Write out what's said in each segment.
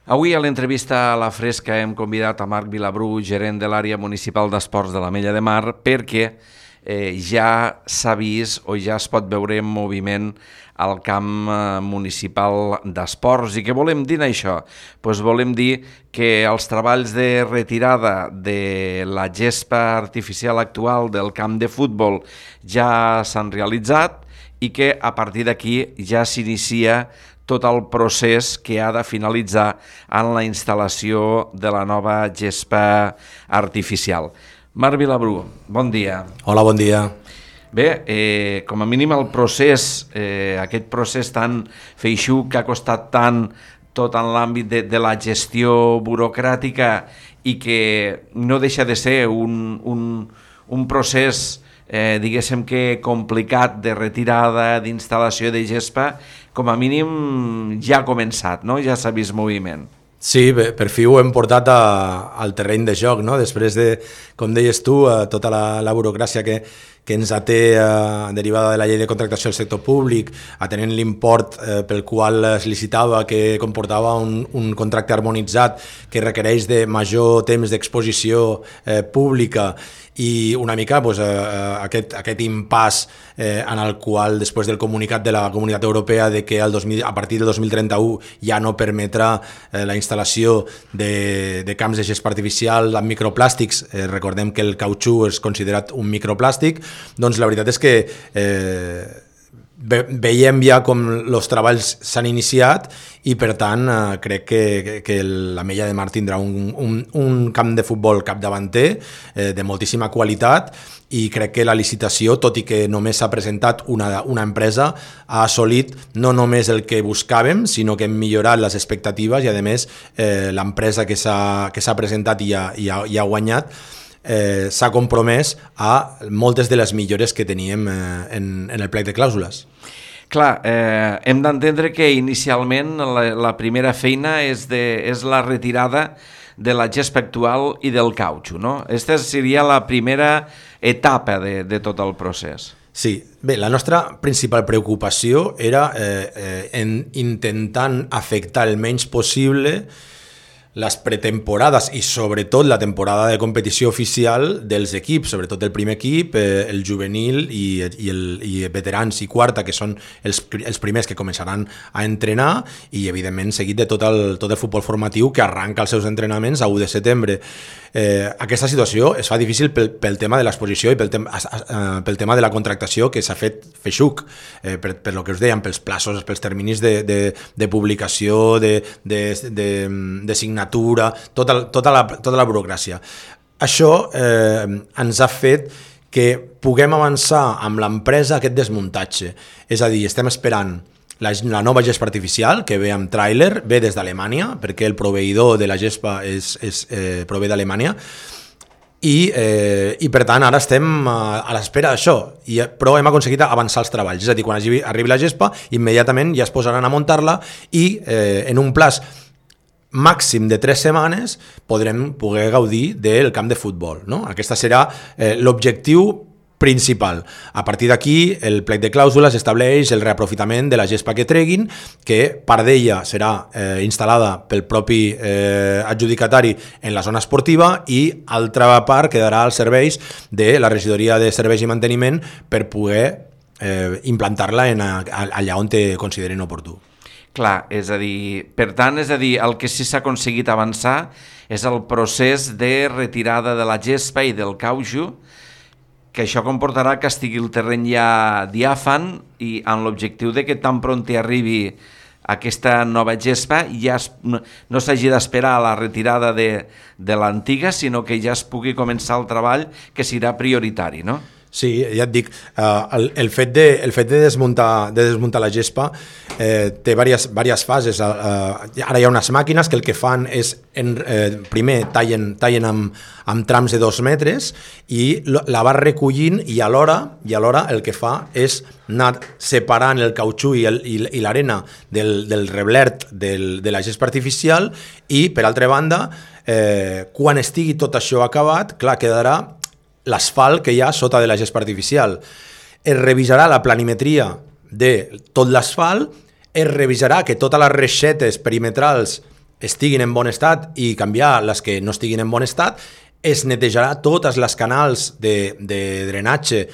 Avui a l'entrevista a La Fresca hem convidat a Marc Vilabru, gerent de l'àrea municipal d'esports de l'Ametlla de Mar, perquè ja s'ha vist o ja es pot veure en moviment al camp municipal d'esports. I què volem dir això? Doncs volem dir que els treballs de retirada de la gespa artificial actual del camp de futbol ja s'han realitzat i que a partir d'aquí ja s'inicia tot el procés que ha de finalitzar en la instal·lació de la nova gespa artificial. Marc Vilabru, bon dia. Hola, bon dia. Bé, com a mínim el procés, aquest procés tan feixuc que ha costat tant tot en l'àmbit de la gestió burocràtica i que no deixa de ser un procés diguéssim que complicat de retirada, d'instal·lació de gespa, com a mínim ja ha començat, no? Ja s'ha vist moviment. Sí, bé, per fi ho hem portat al terreny de joc, no? Després de, com deies tu, tota la burocràcia que ens té derivada de la llei de contractació del sector públic, atenent l'import pel qual es licitava, que comportava un contracte harmonitzat que requereix de major temps d'exposició pública i una mica aquest impàs en el qual després del comunicat de la Comunitat Europea de que a partir del 2031 ja no permetrà la instal·lació de camps de gespa artificial amb microplàstics, recordem que el cautxú és considerat un microplàstic, doncs la veritat és que veiem ja com els treballs s'han iniciat i per tant crec que l'Ametlla de Mar tindrà un camp de futbol capdavanter de moltíssima qualitat i crec que la licitació, tot i que només s'ha presentat una empresa, ha assolit no només el que buscàvem, sinó que hem millorat les expectatives i a més l'empresa que s'ha presentat i ha guanyat s'ha compromès a moltes de les millores que teníem en el plec de clàusules. Clar, hem d'entendre que inicialment la primera feina és la retirada de la gespa actual i del cautxú, no? Aquesta seria la primera etapa de tot el procés. Sí, bé, la nostra principal preocupació era intentant afectar el menys possible les pretemporades i sobretot la temporada de competició oficial dels equips, sobretot el primer equip, el juvenil i veterans i quarta, que són els primers que començaran a entrenar i evidentment seguit de tot el futbol formatiu que arranca els seus entrenaments a 1 de setembre. Aquesta situació es fa difícil pel tema de l'exposició i pel tema de la contractació que s'ha fet feixuc, per lo que us dèiem, pels plaços, pels terminis de publicació, de signatura, tota la burocràcia. Això ens ha fet que puguem avançar amb l'empresa aquest desmuntatge. És a dir, estem esperant la nova gespa artificial, que ve amb tràiler, ve des d'Alemanya, perquè el proveïdor de la gespa prové d'Alemanya, i per tant ara estem a l'espera d'això, però hem aconseguit avançar els treballs, és a dir, quan arribi la gespa, immediatament ja es posaran a muntar-la i en un plaç màxim de 3 setmanes podrem poder gaudir del camp de futbol, no? Aquesta serà l'objectiu principal. A partir d'aquí, el plec de clàusules estableix el reaprofitament de la gespa que treguin, que part d'ella serà instal·lada pel propi adjudicatari en la zona esportiva i altra part quedarà als serveis de la regidoria de serveis i manteniment per poder implantar-la allà on te considerin oportú. Clar, per tant, el que sí s'ha aconseguit avançar és el procés de retirada de la gespa i del cautxú, que això comportarà que estigui el terreny ja diàfan i amb l'objectiu de que tan pront arribi aquesta nova gespa ja no s'hagi d'esperar a la retirada de l'antiga, sinó que ja es pugui començar el treball que serà prioritari, no? Sí, ja et dic, el fet de desmuntar la gespa té diverses fases. Ara hi ha unes màquines que el que fan és, primer tallen amb trams de 2 metres i la va recollint i alhora el que fa és anar separant el cautxú i l'arena del reblert de la gespa artificial i, per altra banda, quan estigui tot això acabat, clar, quedarà l'asfalt que hi ha sota de la gespa artificial. Es revisarà la planimetria de tot l'asfalt, es revisarà que totes les reixetes perimetrals estiguin en bon estat i canviar les que no estiguin en bon estat, es netejarà totes les canals de drenatge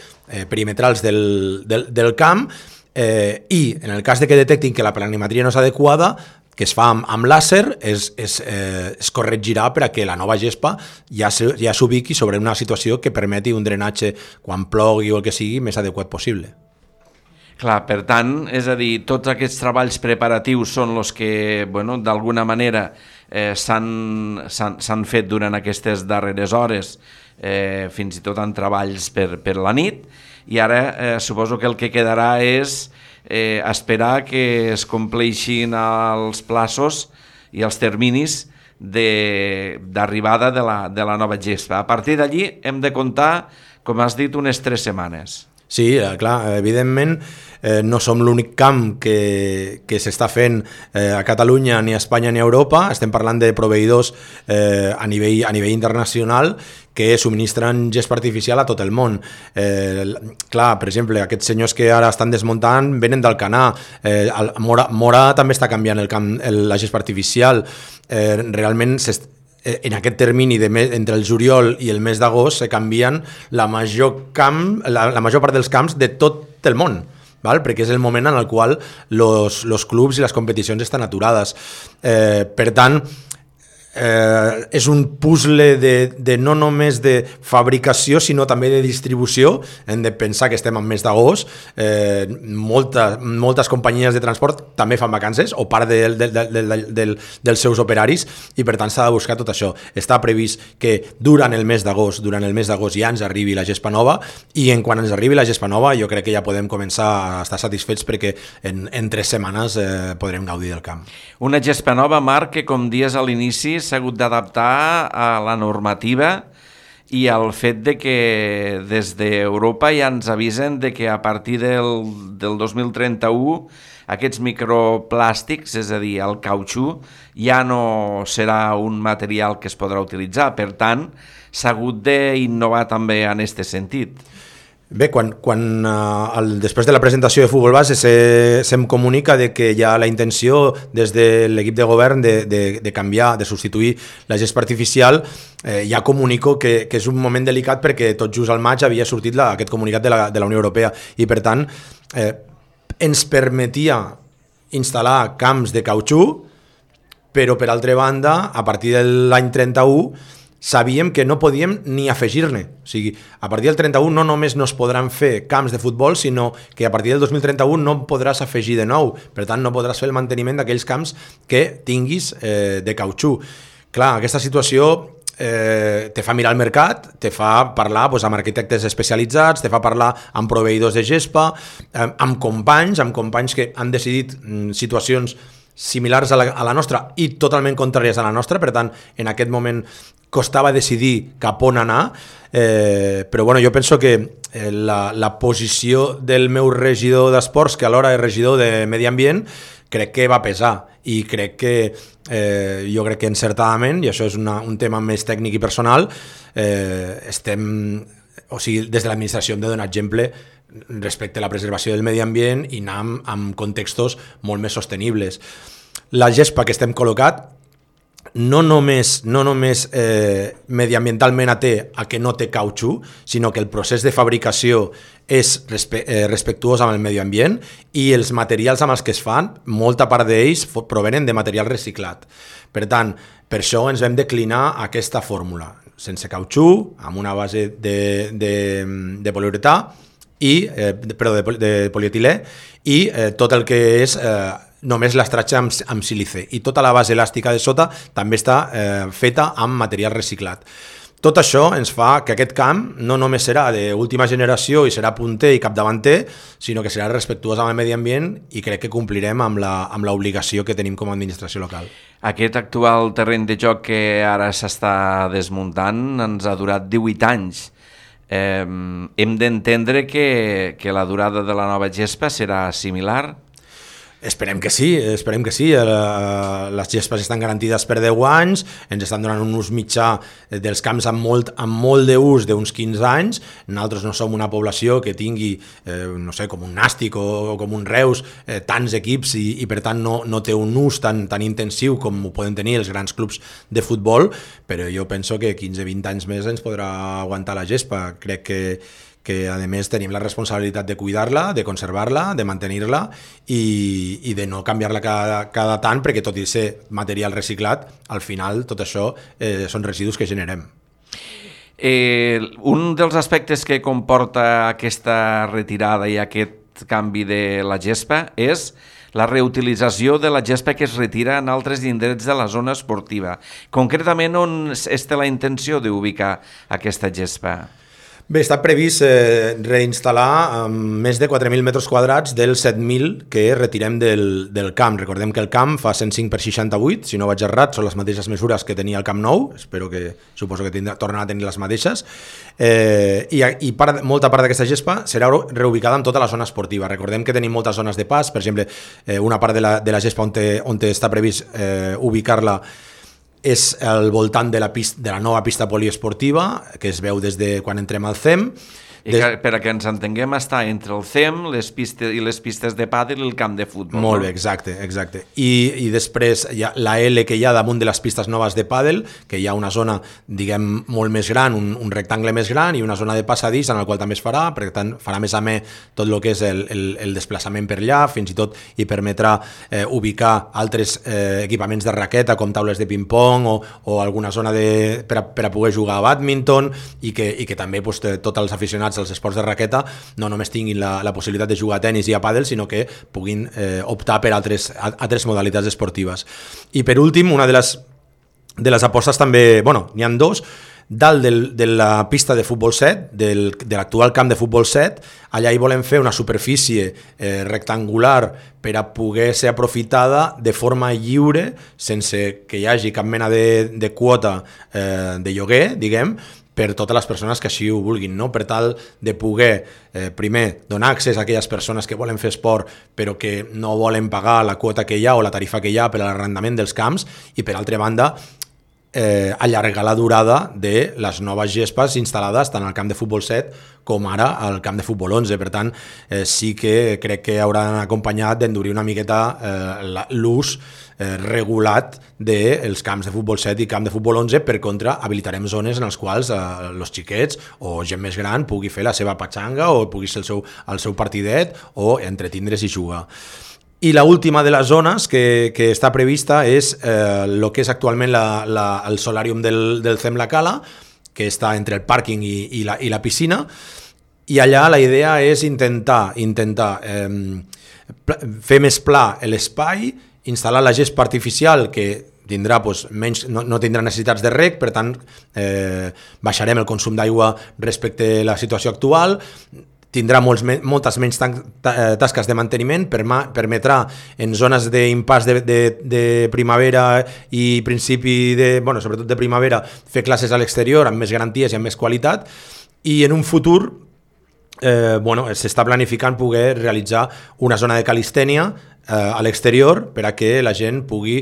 perimetrals del camp i en el cas de que detectin que la planimetria no és adequada, que es fa amb làser, es corregirà per a que la nova gespa ja s'ubiqui sobre una situació que permeti un drenatge quan plogui o el que sigui més adequat possible. Clar, per tant, és a dir, tots aquests treballs preparatius són els que, bueno, d'alguna manera s'han fet durant aquestes darreres hores, fins i tot en treballs per la nit, i ara suposo que el que quedarà és esperar que es compleixin els plaços i els terminis d'arribada de la nova gespa. A partir d'allí hem de comptar, com has dit, unes 3 setmanes. Sí, clar, evidentment no som l'únic camp que s'està fent a Catalunya, ni a Espanya ni a Europa. Estem parlant de proveïdors a nivell internacional que subministren gespa artificial a tot el món. Clar, per exemple, aquests senyors que ara estan desmuntant venen d'Alcanar. Mora també està canviant la gespa artificial. Realment en aquest termini entre el juliol i el mes d'agost se canvien la major part dels camps de tot el món, val? Perquè és el moment en el qual els clubs i les competicions estan aturades. Per tant, és un puzzle de no només de fabricació sinó també de distribució. Hem de pensar que estem en mes d'agost, moltes companyies de transport també fan vacances o part dels seus operaris, i per tant s'ha de buscar tot això. Està previst que durant el mes d'agost ja ens arribi la gespa nova, i quan ens arribi la gespa nova jo crec que ja podem començar a estar satisfets perquè en 3 setmanes podrem gaudir del camp. Una gespa nova, Marc, que com dies a l'inici s'ha hagut d'adaptar a la normativa i al fet de que des d'Europa ja ens avisen de que a partir del 2031 aquests microplàstics, és a dir, el cautxú, ja no serà un material que es podrà utilitzar. Per tant, s'ha hagut d'innovar també en aquest sentit. Bé, després de la presentació de Futbol Base se'm comunica de que hi ha la intenció des de l'equip de govern de canviar, de substituir la gespa artificial. Ja comunico que és un moment delicat perquè tot just al maig havia sortit aquest comunicat de la Unió Europea, i per tant ens permetia instal·lar camps de cautxú, però per altra banda, a partir de l'any 31 sabíem que no podíem ni afegir-ne. O sigui, a partir del 31 no només no es podran fer camps de futbol, sinó que a partir del 2031 no podràs afegir de nou. Per tant, no podràs fer el manteniment d'aquells camps que tinguis de cautxú. Clar, aquesta situació te fa mirar el mercat, te fa parlar amb arquitectes especialitzats, te fa parlar amb proveïdors de gespa, amb companys que han decidit situacions similars a la nostra i totalment contràries a la nostra. Per tant, en aquest moment costava decidir cap on anar, però bueno, jo penso que la posició del meu regidor d'esports, que alhora és regidor de Medi Ambient, crec que va pesar, i crec que jo crec que encertadament, i això és un tema més tècnic i personal, o sigui, des de l'administració hem de donar exemple respecte a la preservació del medi ambient i anar amb contextos molt més sostenibles. La gespa que estem col·locat no només mediambientalment té a que no té cautxú, sinó que el procés de fabricació és respectuós amb el medi ambient, i els materials amb els que es fan, molta part d'ells provenen de material reciclat. Per tant, per això ens vam declinar aquesta fórmula, sense cautxú, amb una base de poliuretà, de polietilè, i tot el que és només l'estratge amb sílice, i tota la base elàstica de sota també està feta amb material reciclat. Tot això ens fa que aquest camp no només serà d'última generació i serà punter i capdavanter, sinó que serà respectuós amb el medi ambient, i crec que complirem amb l'obligació que tenim com a administració local. Aquest actual terreny de joc que ara s'està desmuntant ens ha durat 18 anys. Hem d'entendre que la durada de la nova gespa serà similar? Esperem que sí. Les gespes estan garantides per 10 anys, ens estan donant un ús mitjà dels camps amb molt d'ús d'uns 15 anys. Nosaltres no som una població que tingui, no sé, com un Nàstic o com un Reus, tants equips i per tant no té un ús tan intensiu com ho poden tenir els grans clubs de futbol, però jo penso que 15-20 anys més ens podrà aguantar la gespa. Crec que a més tenim la responsabilitat de cuidar-la, de conservar-la, de mantenir-la i de no canviar-la cada tant, perquè tot i ser material reciclat, al final tot això són residus que generem. Un dels aspectes que comporta aquesta retirada i aquest canvi de la gespa és la reutilització de la gespa que es retira en altres indrets de la zona esportiva. Concretament, on es té la intenció d'ubicar aquesta gespa? Bé, està previst reinstal·lar més de 4.000 metres quadrats dels 7.000 que retirem del camp. Recordem que el camp fa 105 per 68, si no vaig errat, són les mateixes mesures que tenia el Camp Nou, suposo que tornarà a tenir les mateixes, i molta part d'aquesta gespa serà reubicada en tota la zona esportiva. Recordem que tenim moltes zones de pas, per exemple, una part de la gespa on està previst ubicar-la és al voltant de la nova pista poliesportiva, que es veu des de quan entrem al CEM. Per a que ens entenguem, està entre el CEM les pistes de pàdel i el camp de futbol. Molt bé, exacte. I després hi ha la L que hi ha damunt de les pistes noves de pàdel, que hi ha una zona, diguem, molt més gran, un rectangle més gran i una zona de passadís en el qual també es farà, per tant farà més amè tot el que és el desplaçament per allà, fins i tot hi permetrà ubicar altres equipaments de raqueta com taules de ping-pong o alguna zona per a poder jugar a bàdminton i que també tots els aficionats als esports de raqueta no només tinguin la possibilitat de jugar a tenis i a pàdel, sinó que puguin optar per altres modalitats esportives. I per últim, una de les apostes també, n'hi ha dos, dalt de la pista de futbol 7, de l'actual camp de futbol 7, allà hi volem fer una superfície rectangular per a poder ser aprofitada de forma lliure, sense que hi hagi cap mena de quota de lloguer, diguem, per totes les persones que així ho vulguin, no? Per tal de poder, primer, donar accés a aquelles persones que volen fer esport però que no volen pagar la quota que hi ha o la tarifa que hi ha per a l'arrendament dels camps i, per altra banda, allargar la durada de les noves gespes instal·lades tant al camp de futbol 7 com ara al camp de futbol 11. Per tant, sí que crec que hauran acompanyat d'endurir una miqueta l'ús regulat dels camps de futbol 7 i camp de futbol 11. Per contra, habilitarem zones en les quals els xiquets o gent més gran pugui fer la seva patxanga o pugui ser el seu partidet o entretindre's i jugar. I l'última de les zones que està prevista és el que és actualment el solàrium del CEM La Cala, que està entre el pàrquing i la piscina, i allà la idea és intentar fer més pla l'espai, instal·lar la gespa artificial que tindrà menys, no tindrà necessitats de reg, per tant baixarem el consum d'aigua respecte a la situació actual, tindrà moltes menys tasques de manteniment, permetrà en zones d'impàs de primavera i principi sobretot de primavera, fer classes a l'exterior amb més garanties i amb més qualitat, i en un futur s'està planificant poder realitzar una zona de calistènia a l'exterior per a que la gent pugui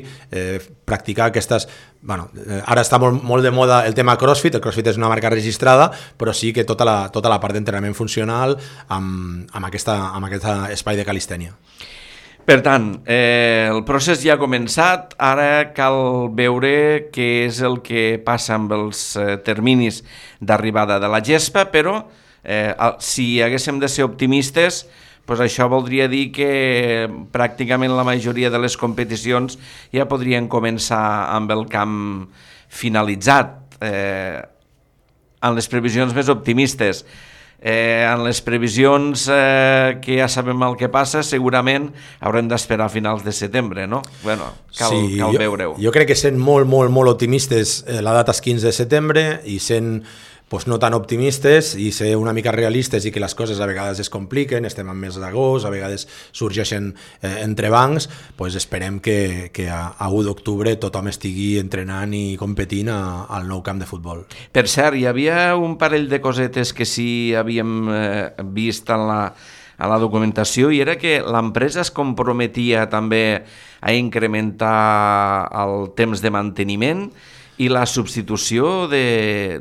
practicar aquestes... Ara està molt de moda el tema CrossFit. El CrossFit és una marca registrada, però sí que tota la part d'entrenament funcional amb aquest espai de calistènia. Per tant, el procés ja ha començat, ara cal veure què és el que passa amb els terminis d'arribada de la gespa, però si haguéssim de ser optimistes, doncs això voldria dir que pràcticament la majoria de les competicions ja podrien començar amb el camp finalitzat. En les previsions més optimistes, en les previsions que ja sabem el que passa, segurament haurem d'esperar a finals de setembre, no? Cal veure-ho. Jo crec que sent molt, molt, molt optimistes, la data és 15 de setembre, i sent no tan optimistes i ser una mica realistes i que les coses a vegades es compliquen, estem en mes d'agost, a vegades sorgeixen entrebancs, esperem que a 1 d'octubre tothom estigui entrenant i competint al nou camp de futbol. Per cert, hi havia un parell de cosetes que sí havíem vist en a la documentació, i era que l'empresa es comprometia també a incrementar el temps de manteniment i la substitució de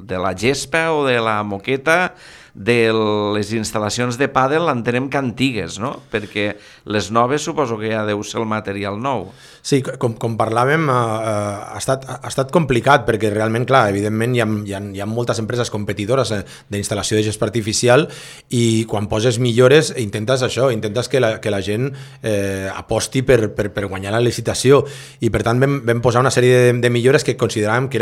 la gespa o de la moqueta de les instal·lacions de pàdel, entenem que antigues, no? Perquè les noves suposo que ja deu ser el material nou. Sí, com parlàvem, ha estat complicat perquè realment, clar, evidentment hi ha moltes empreses competidores d'instal·lació de gespa artificial i quan poses millores intentes que la gent aposti per guanyar la licitació, i per tant vam posar una sèrie de millores que consideràvem que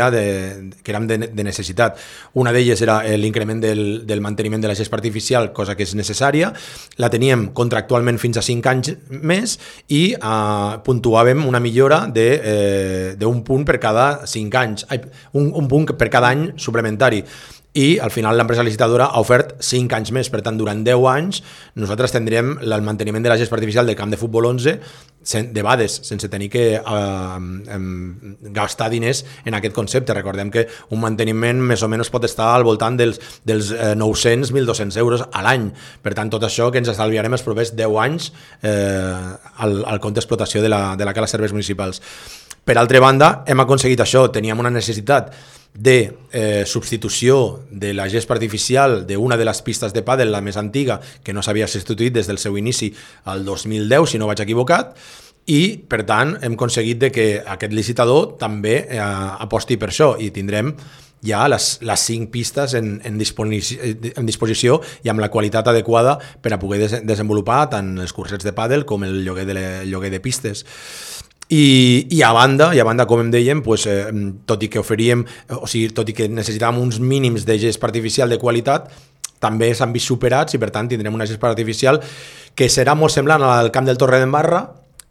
eren de necessitat. Una d'elles era l'increment del manteniment de la gespa artificial, cosa que és necessària. La teníem contractualment fins a 5 anys més i puntuàvem una millora d'un punt per cada 5 anys, un punt per cada any suplementari. I al final l'empresa licitadora ha ofert 5 anys més, per tant durant 10 anys nosaltres tindrem el manteniment de la gespa artificial del camp de futbol 11 de bades, sense tenir que gastar diners en aquest concepte. Recordem que un manteniment més o menys pot estar al voltant dels 900-1.200 euros a l'any, per tant tot això que ens estalviarem els propers 10 anys al compte d'explotació de la cala serveis municipals. Per altra banda, hem aconseguit això, teníem una necessitat de substitució de la gespa artificial d'una de les pistes de pàdel, la més antiga, que no s'havia substituït des del seu inici al 2010, si no vaig equivocat, i per tant hem aconseguit que aquest licitador també aposti per això, i tindrem ja les 5 pistes en disposició i amb la qualitat adequada per a poder desenvolupar tant els cursets de pàdel com el lloguer de pistes. I a banda, com em dèiem, tot i que necessitàvem uns mínims de gespa artificial de qualitat, també s'han vist superats i per tant tindrem una gespa artificial que serà molt semblant al camp del Torredembarra,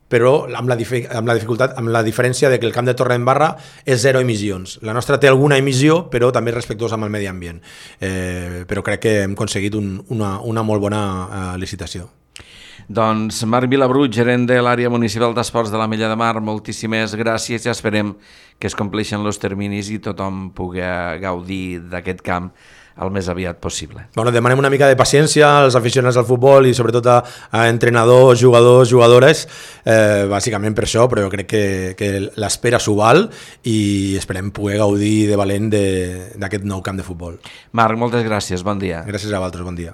però amb la diferència de que el camp de Torredembarra és 0 emissions. La nostra té alguna emissió, però també és respectuosa amb el medi ambient. Però crec que hem aconseguit una molt bona licitació. Doncs Marc Vilabrut, gerent de l'àrea municipal d'esports de l'Ametlla de Mar, moltíssimes gràcies i esperem que es compleixen els terminis i tothom pugui gaudir d'aquest camp el més aviat possible. Demanem una mica de paciència als aficionats al futbol i sobretot a entrenadors, jugadors, jugadores, bàsicament per això, però jo crec que l'espera s'ho val i esperem poder gaudir de valent d'aquest nou camp de futbol. Marc, moltes gràcies, bon dia. Gràcies a vosaltres, bon dia.